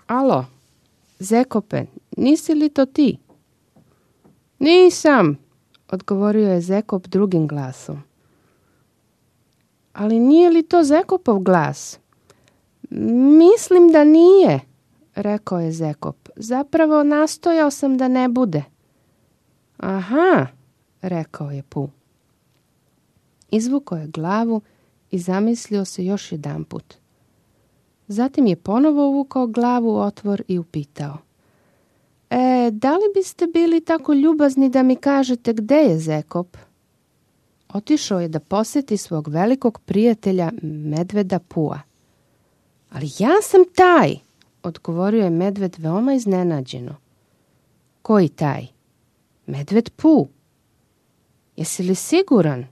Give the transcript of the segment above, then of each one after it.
Alo, Zekope, nisi li to ti? Nisam, odgovorio je Zekop drugim glasom. Ali nije li to Zekopov glas? Mislim da nije, rekao je Zekop. Zapravo nastojao sam da ne bude. Aha, rekao je Pu. Izvukao je glavu i zamislio se još jedanput. Zatim je ponovo uvukao glavu u otvor i upitao. Da li biste bili tako ljubazni da mi kažete gde je Zekop? Otišao je da posjeti svog velikog prijatelja medveda Pua. Ali ja sam taj, odgovorio je medved veoma iznenađeno. Koji taj? Medved Pu. Jesi li siguran?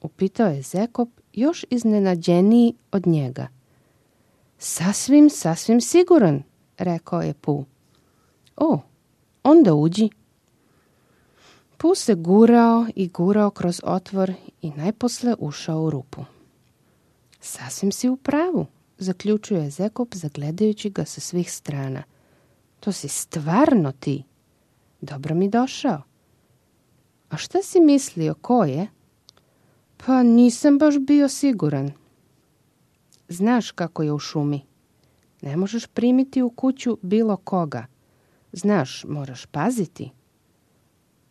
Upitao je Zekop još iznenađeniji od njega. Sasvim siguran, rekao je Pu. O, onda uđi. Pu se gurao kroz otvor i najposle ušao u rupu. Sasvim si u pravu, zaključio je Zekop zagledajući ga sa svih strana. To si stvarno ti. Dobro mi došao. A šta si mislio, ko je? Pa nisam baš bio siguran. Znaš kako je u šumi. Ne možeš primiti u kuću bilo koga. Znaš, moraš paziti.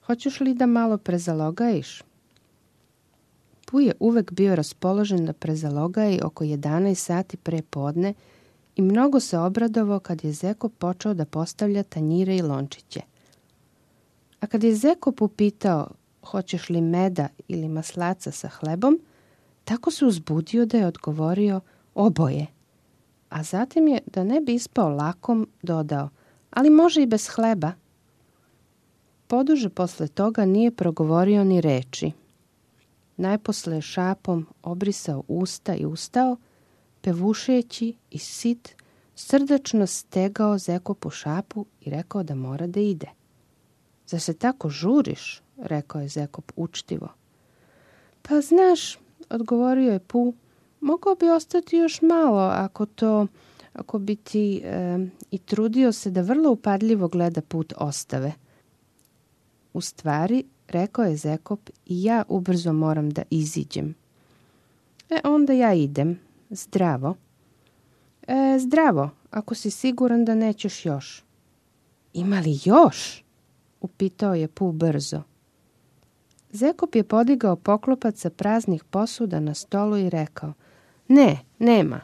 Hoćeš li da malo prezalogajiš? Pu je uvek bio raspoložen da prezalogaji oko 11 sati pre podne i mnogo se obradovao kad je Zekop počeo da postavlja tanjire i lončiće. A kad je Zekop upitao hoćeš li meda ili maslaca sa hlebom, tako se uzbudio da je odgovorio oboje. A zatim je, da ne bi ispao lakom, dodao, ali može i bez hleba. Poduže posle toga nije progovorio ni reči. Najposle je šapom obrisao usta i ustao, pevušeći i sit, srdačno stegao Zekopu šapu i rekao da mora da ide. Zar se tako žuriš? Rekao je Zekop učtivo. Pa znaš, odgovorio je Pu, mogao bi ostati još malo ako bi ti i trudio se da vrlo upadljivo gleda put ostave. U stvari, rekao je Zekop, i ja ubrzo moram da iziđem. Onda ja idem. Zdravo. Zdravo, ako si siguran da nećeš još. Ima li još? Upitao je Pu brzo. Zekop je podigao poklopac sa praznih posuda na stolu i rekao, ne, nema.